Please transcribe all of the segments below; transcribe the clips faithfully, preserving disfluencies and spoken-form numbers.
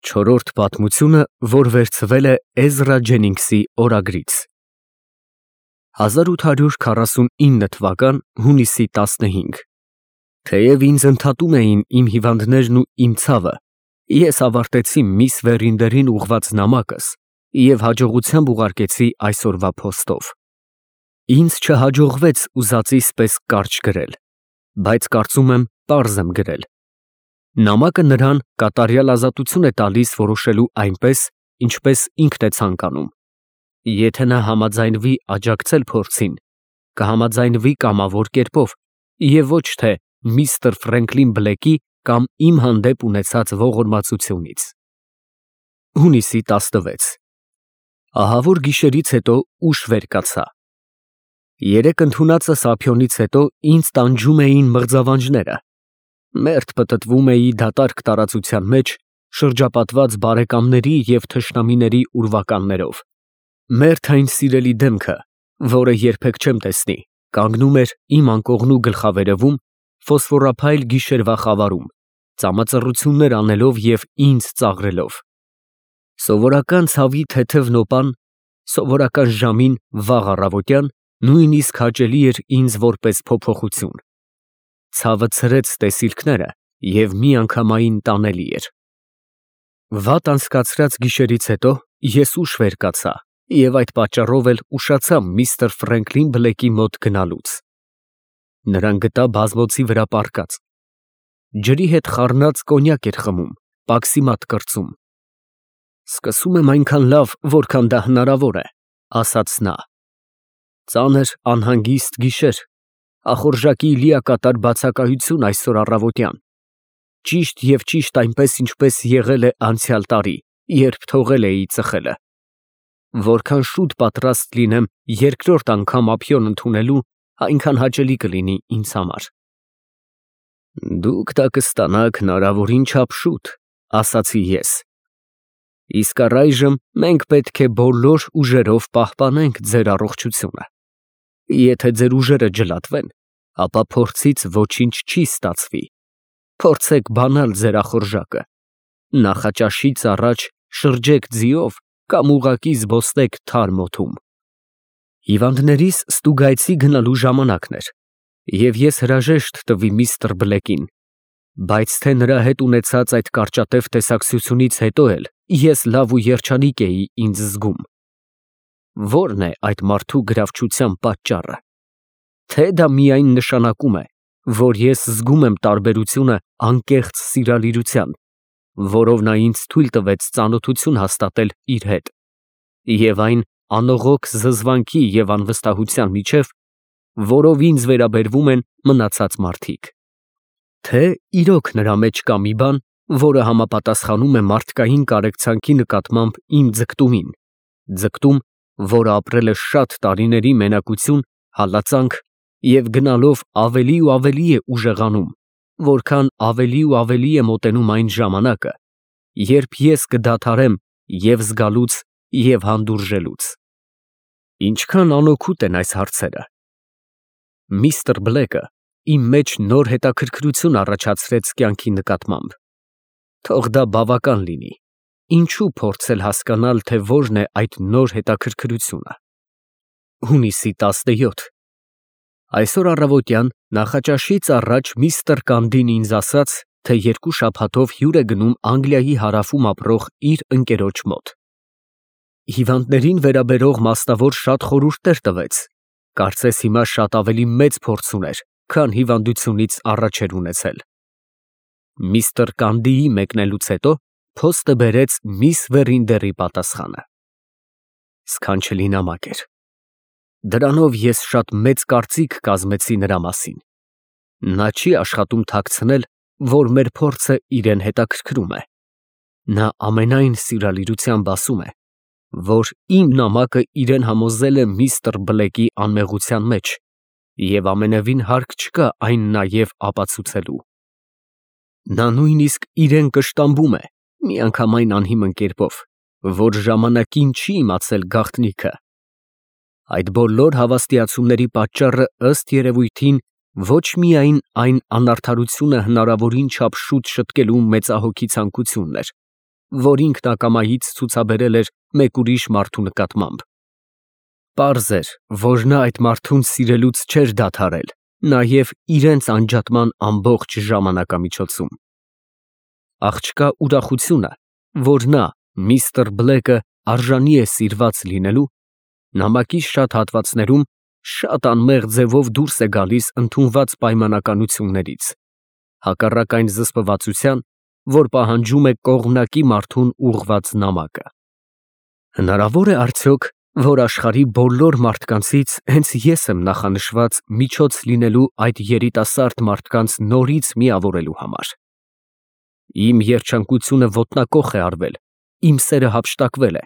Չորրորդ պատմությունը, որ վերցվել է Էզրա Ջենինգսի օրագրից հազար ութ հարյուր քառասունինը թվական հունիսի տասնհինգ Թեև ինձ ընդհատում էին իմ հիվանդներն ու իմ ցավը, ես ավարտեցի միս Վերինդերին ուղղված նամակս և հաջողությամբ ուղարկեցի այսօրվա փոստով։ Ինձ չհաջողվեց ուզածիս պես կարճ գրել, բայց կարծում եմ պարզ եմ գրել։ Նամակը նրան կատարյալ ազատություն է տալիս որոշելու այնպես, ինչպես ինքն է ցանկանում։ Եթե նա համաձայնվի աջակցել փորձին, կհամաձայնվի կամավոր կերպով և ոչ թե միստր Ֆրենկլին Բլեքի կամ իմ հանդեպ ունեցած ողորմածությունից։ Հունիսի տասնվեց Ահավոր գիշերից հետո ուշ վեր կացա։ Երեկ ընդունածս ափիոնից հետո ինձ տանջում էին մղձավանջները։ Մերթ պտտվում էի դատարկ տարածության մեջ, շրջապատված բարեկամների և թշնամիների ուրվականներով։ Մերթ այն սիրելի դեմքը, որը երբեք չեմ տեսնի, կանգնում էր իմ անկողնու գլխավերևում, ֆոսֆորափայլ գիշերվա խավարում, ծամածռություններ անելով և ինձ ծաղրելով։ Սովորական ցավի թեթև նոպան, սովորական ժամին վաղ առավոտյան նույնիսկ հաճելի էր ինձ որպես փոփոխություն։ Ցավը ցրեց տեսիլքները և միանգամայն տանելի էր։ Վատ անցկացրած գիշերից հետո ես ուշ վեր կացա և այդ պատճառով էլ ուշացա միստր Ֆրենկլին Բլեքի մոտ գնալուց։ Նրան գտա բազմոցի վրա պառկած։ Ջրի հետ խառնած կոնյակ էր խմում, պաքսի մատ կրծում։ Սկսում եմ այնքան լավ, որքան դա հնարավոր է, ասաց նա։ Ծանր անհանգիստ գիշեր, ախորժակի լիակատար բացակայություն այսօր առավոտյան, ճիշտ և ճիշտ այնպես, ինչպես եղել է անցյալ տարի, երբ թողել էի ծխելը։ Որքան շուտ պատրաստ լինեմ երկրորդ անգամ ափիոն ընդունելու, այնքան հաճելի կլինի ինձ համար։ Դուք դա կստանաք հնարավորին չափ շուտ, ասացի ես։ Իսկ առայժմ մենք պետք է բոլոր ուժերով պահպանենք ձեր առողջությունը։ Եթե ձեր ուժերը ջլատվեն, ապա փորձից ոչինչ չի ստացվի։ Փորձեք բանալ ձեր ախորժակը։ Նախաճաշից առաջ շրջեք ձիով կամ ուղղակի զբոսնեք թարմ օդում։ Հիվանդներիս ստուգայցի գնալու ժամանակն էր, և ես հրաժեշտ տվի միստր Բլեկին, բայց թե նրա հետ ունեցած այդ կարճատև տեսակցությունից հետո էլ ես լավ ու երջանիկ էի ինձ զգում։ Ո՞րն է այդ մարդու գրավչության պատճառը։ Թե դա միայն նշանակում է, որ ես զգում եմ տարբերությունը անկեղծ սիրալիրության, որով նա ինձ թույլ տվեց ծանոթություն հաստատել իր հետ, և այն անողոք զզվանքի և անվստահության միջև, որով ինձ վերաբերվում են մնացած մարդիկ։ Թե իրոք նրա մեջ կա մի բան, որը համապատասխանում է մարդկային կարեկցանքի նկատմամբ իմ ձգտումին, ձգտում, որը ապրել է շատ տարիների մենակություն, հալածանք և գնալով ավելի ու ավելի է ուժեղանում, որքան ավելի ու ավելի է մոտենում այն ժամանակը, երբ ես կդադարեմ և զգալուց, և հանդուրժելուց։ Ինչքան անօգուտ են այս հարցերը։ Միստր Բլեկը իմ մեջ նոր հետաքրքրություն առաջացրեց կյանքի նկատմամբ։ Թող դա բավական լինի, ինչու փորձել հասկանալ, թե որն է այդ նոր հետաքրքրությունը։ Հունիսի տասնյոթ Այսօր առավոտյան նախաճաշից առաջ միստր Կանդին ինձ ասաց, թե երկու շաբաթով հյուր է գնում Անգլիայի հարավում ապրող իր ընկերոջ մոտ։ Հիվանդներին վերաբերող մասնավոր շատ խորհուրդներ տվեց, կարծես հիմա շատ ավելի մեծ փորձ ուներ, քան հիվանդությունից առաջ էր ունեցել։ Միստր Կանդիի մեկնելուց հետո փոստը բերեց միս Վերինդերի պատասխանը։ Սքանչելի նամակ էր։ Դրանով ես շատ մեծ կարծիք կազմեցի նրա մասին։ Նա չի աշխատում թաքցնել, որ մեր փորձը իրեն հետաքրքրում է։ Նա ամենայն սիրալիրությամբ ասում է, որ իմ նամակը իրեն համոզել է միստր Բլեկի անմեղության մեջ, և ամենևին հարկ չկա այն նաև ապացուցելու։ Նա նույնիսկ իրեն կշտամբում է միանգամայն անհիմն կերպով, որ ժամանակին չի իմացել գաղտնիքը։ Այդ բոլոր հավաստիացումների պատճառը ըստ երևույթին ոչ միայն այն անարդարությունը հնարավորին չափ շուտ շտկելու մեծահոգի ցանկությունն էր, որ ինքն ակամայից ցուցաբերել էր մեկ ուրիշ մարդու նկատմամբ։ Պարզ էր, որ նա այդ մարդուն սիրելուց չէր դադարել, նաև իրենց անջատման ամբողջ ժամանակամիջոցում։ Աղջկա ուրախությունը, որ նա, միստր Բլեքը, արժանի է սիրված լինելու, նամակի շատ հատվածներում շատ անմեղ ձևով դուրս է գալիս ընդունված պայմանականություններից, հակառակ այն զսպվածության, որ պահանջում է կողմնակի մարդուն ուղղված նամակը։ Հնարավոր է արդյոք, որ աշխարհի բոլոր մարդկանցից հենց ես եմ նախանշված միջոց լինելու այդ երիտասարդ մարդկանց նորից միավորելու համար։ Իմ երջանկությունը ոտնակոխ է արվել, իմ սերը հափշտակվել է։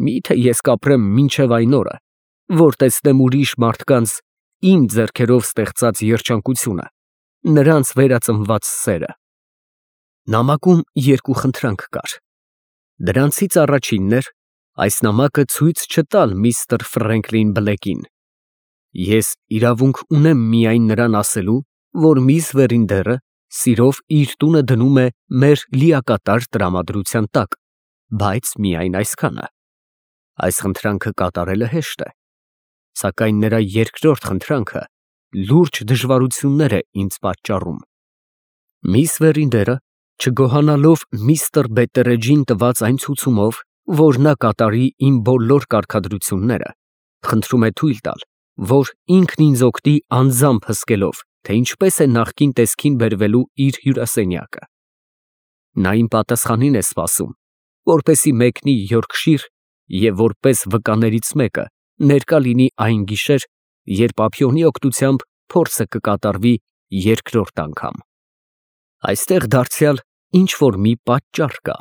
Միթե ես կապրեմ մինչև այն օրը, որ տեսնեմ ուրիշ մարդկանց իմ ձեռքերով ստեղծած երջանկությունը, նրանց վերածնված սերը։ Նամակում երկու խնդրանք կար։ Դրանցից առաջինն էր այս նամակը ցույց չտալ միստր Ֆրենկլին Բլեկին։ Ես իրավունք ունեմ միայն նրան ասելու, որ միս Վերինդերը սիրով իր տունը դնում է մեր լիակատար տրամադրության տակ, բայց միայն այսքանը։ Այս խնդրանքը կատարելը հեշտ է, սակայն նրա երկրորդ խնդրանքը լուրջ դժվարություններ է ինձ պատճառում։ Միս Վերինդերը, չգոհանալով միստր Բետտերեջին տված այն ցուցումով, որ նա կատարի իմ բոլոր կարգադրությունները, խնդրում է թույլ տալ, որ ինքն ինձ օգնի անձամբ հսկելով, թե ինչպես է նախկին տեսքին բերվելու իր հյուրասենյակը։ Նա իմ պատասխանին է սպասում, որպեսզի մեկնի Յորքշիր և որպես վկաներից մեկը ներկա լինի այն գիշեր, երբ ափիոնի օգնությամբ փորձը կկատարվի երկրորդ անգամ։ Այստեղ դարձյալ ինչ֊որ մի պատճառ կա,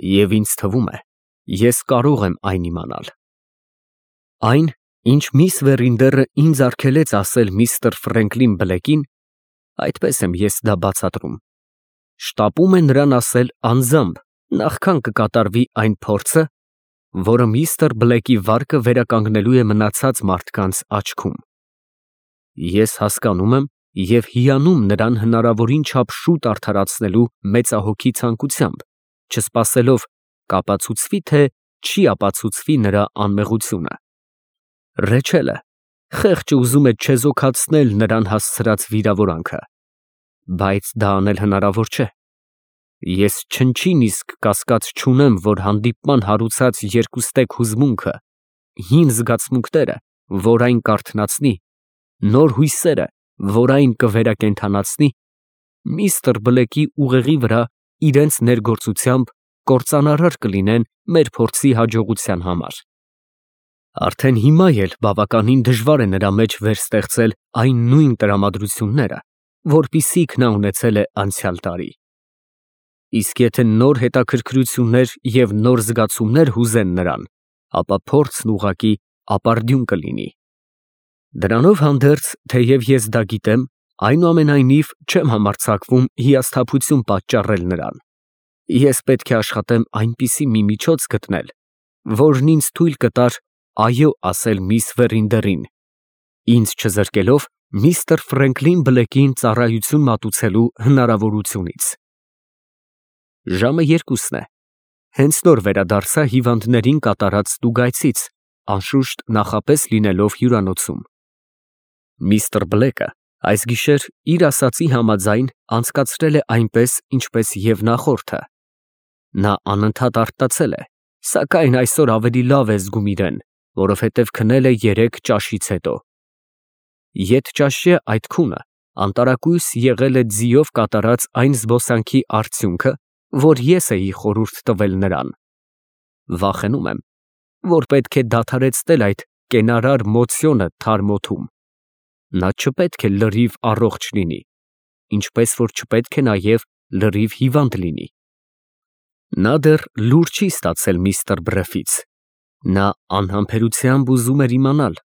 և ինձ թվում է, ես կարող եմ այն իմանալ։ Այն, ինչ միս Վերինդերը ինձ արգելեց ասել միստր Ֆրենկլին Բլեկին, այդպես եմ ես դա բացատրում, շտապում է նրան ասել անձամբ, նախքան կկատարվի այն փորձը, որը միստր Բլեկի վարկը վերականգնելու է մնացած մարդկանց աչքում։ Ես հասկանում եմ և հիանում նրան հնարավորին չափ շուտ արդարացնելու մեծահոգի ցանկությամբ, չսպասելով կապացուցվի, թե չի ապացուցվի նրա անմեղությունը։ Ռեչելը խեղճը ուզում է չեզոքացնել նրան հասցրած վիրավորանքը, բայց դա անել հնարավոր չէ։ Ես չնչին իսկ կասկած չունեմ, որ հանդիպման հարուցած երկուստեք հուզմունքը, հին զգացմունքները, որ այն կարթնացնի, նոր հույսերը, որ այն կվերակենդանացնի, միստր Բլեկի ուղեղի վրա իրենց ներգործությամբ կործանարար կլինեն մեր փորձի հաջողության համար։ Արդեն հիմա էլ բավականին դժվար է նրա մեջ վերստեղծել այն նույն տրամադրությունները, որպիսիք նա ունեցել է անցյալ տարի։ Իսկ եթե նոր հետաքրքրություններ և նոր զգացումներ հուզեն նրան, ապա փորձն ուղղակի ապարդյուն կլինի։ Դրանով հանդերձ, թեև ես դա գիտեմ, այնուամենայնիվ չեմ համարձակվում հիասթափություն պատճառել նրան։ Ես պետք է աշխատեմ այնպիսի մի միջոց գտնել, որն ինձ թույլ կտար այո ասել միս Վերինդերին, ինձ չզրկելով միստր Ֆրենկլին Բլեկին ծառայություն մատուցելու հնարավորությունից։ Ժամը երկուսն է։ Հենց նոր վերադարձա հիվանդներին կատարած ստուգայցից, անշուշտ նախապես լինելով հյուրանոցում։ Միստր Բլեկը այս գիշեր իր ասածի համաձայն անցկացրել է այնպես, ինչպես և նախորդը։ Նա անընդհատ արտացել է, սակայն այսօր ավելի լավ է զգում իրեն, որովհետև քնել է երեք ճաշից հետո։ Ետճաշյա այդ քունը անտարակույս եղել է ձիով կատարած այն զբոսանքի արդյունքը, որ ես էի խորհուրդ տվել նրան։ Վախենում եմ, որ պետք է դադարեցնել այդ կենարար մոցիոնը թարմ օդում։ Նա չպետք է լրիվ առողջ լինի, ինչպես որ չպետք է նաև լրիվ հիվանդ լինի։ Նա դեռ լուր չի ստացել միստր Բրեֆից։ Նա անհամբերությամբ ուզում էր իմանալ,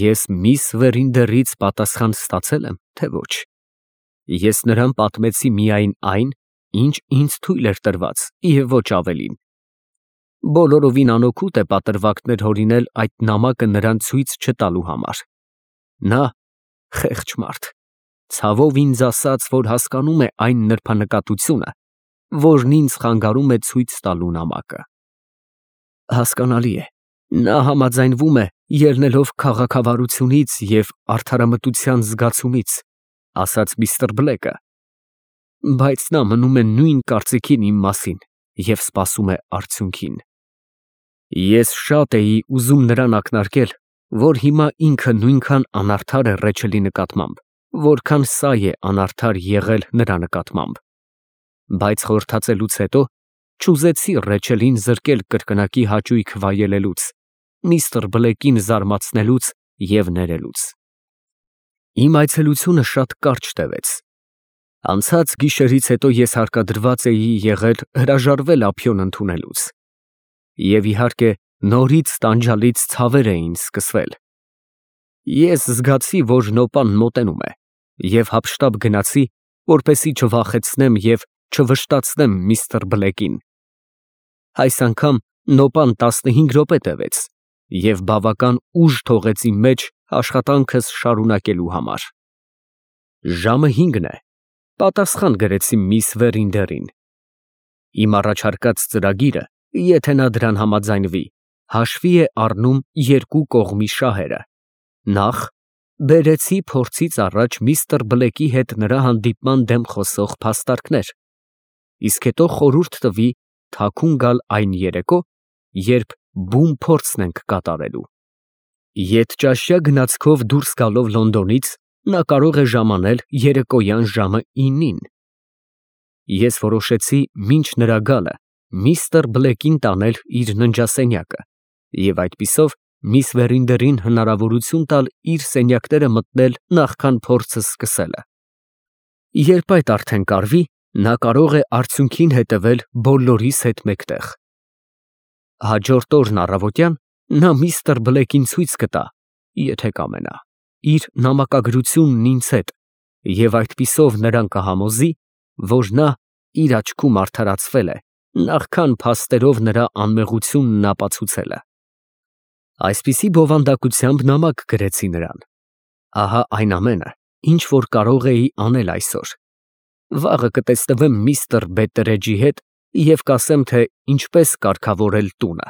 ես միս Վերինդերից պատասխան ստացել եմ, թե ոչ։ Ես նրան պատմեցի միայն այն, ինչ ինձ թույլ էր տրված, և ոչ ավելին։ Բոլորովին անօգուտ է պատրվակներ հորինել այդ նամակը նրան ցույց չտալու համար։ Նա, խեղճ մարդ, ցավով ինձ ասաց, որ հասկանում է այն նրբանկատությունը, որն ինձ խանգարում է ցույց տալու նամակը։ Հասկանալի է, նա համաձայնվում է ելնելով քաղաքավարությունից և արդարամտության զգացումից, ասաց միստր Բլեքը, բայց նա մնում է նույն կարծիքին իմ մասին և սպասում է արդյունքին։ Ես շատ էի ուզում նրան ակնարկել, որ հիմա ինքը նույնքան անարդար է Ռեչելի նկատմամբ, որքան սա է անարդար եղել նրա նկատմամբ, բայց խորհրդածելուց հետո չուզեցի Ռեչելին զրկել կրկնակի հաճույք վայելելուց, միստր Բլեկին զարմացնելուց և ներելուց։ Իմ այցելությունը շատ կարճ տևեց։ Անցած գիշերից հետո ես հարկադրված էի եղել հրաժարվել ափիոն ընդունելուց։ Եվ իհարկե, նորից տանջալից ցավեր էին սկսվել։ Ես զգացի, որ նոպան մոտենում է, և հափշտապ գնացի, որպեսզի չվախեցնեմ և չվշտացնեմ միստր Բլեկին։ Այս անգամ նոպան տասնհինգ րոպե տևեց և բավական ուժ թողեց իմ մեջ աշխատանքս շարունակելու համար։ Ժամը հինգն է, պատասխան գրեցի միս Վերինդերին։ Իմ առաջարկած ծրագիրը, եթե նա դրան համաձայնվի, հաշվի է առնում երկու կողմի շահերը. նախ, բերեցի փորձից առաջ միստր Բլեկի հետ նրա հանդիպման դեմ խոսող փաստարկներ, իսկ հետո խորհուրդ տվի թաքուն գալ այն երեկո, երբ բուն փորձն ենք կատարելու։ Ետճաշյա գնացքով դուրս գալով Լոնդոնից, նա կարող է ժամանել երեկոյան ժամը ինին։ Ես որոշեցի մինչ նրա գալը միստր Բլեկին տանել իր ննջասենյակը և այդպիսով միս Վերինդերին հնարավորություն տալ իր սենյակները մտնել նախքան փորձը սկսելը։ Երբ այդ արդեն կարվի, նա կարող է արդյունքին հետևել բոլորիս հետ մեկտեղ։ Հաջորդ օրն առավոտյան նա միստր Բլեկին ցույց կտա, եթե կամենա, իր նամակագրությունն ինձ հետ և այդպիսով նրան կհամոզի, որ նա իր աչքում արդարացվել է, նախքան փաստերով նրա անմեղությունն ապացուցելը։ Այսպիսի բովանդակությամբ նամակ գրեցի նրան։ Ահա այն ամենը, ինչ որ կարող էի անել այսօր։ Վաղը կտսնվեմ միստր Բետտերեջի հետ և կասեմ, թե ինչպես կարգավորել տունը։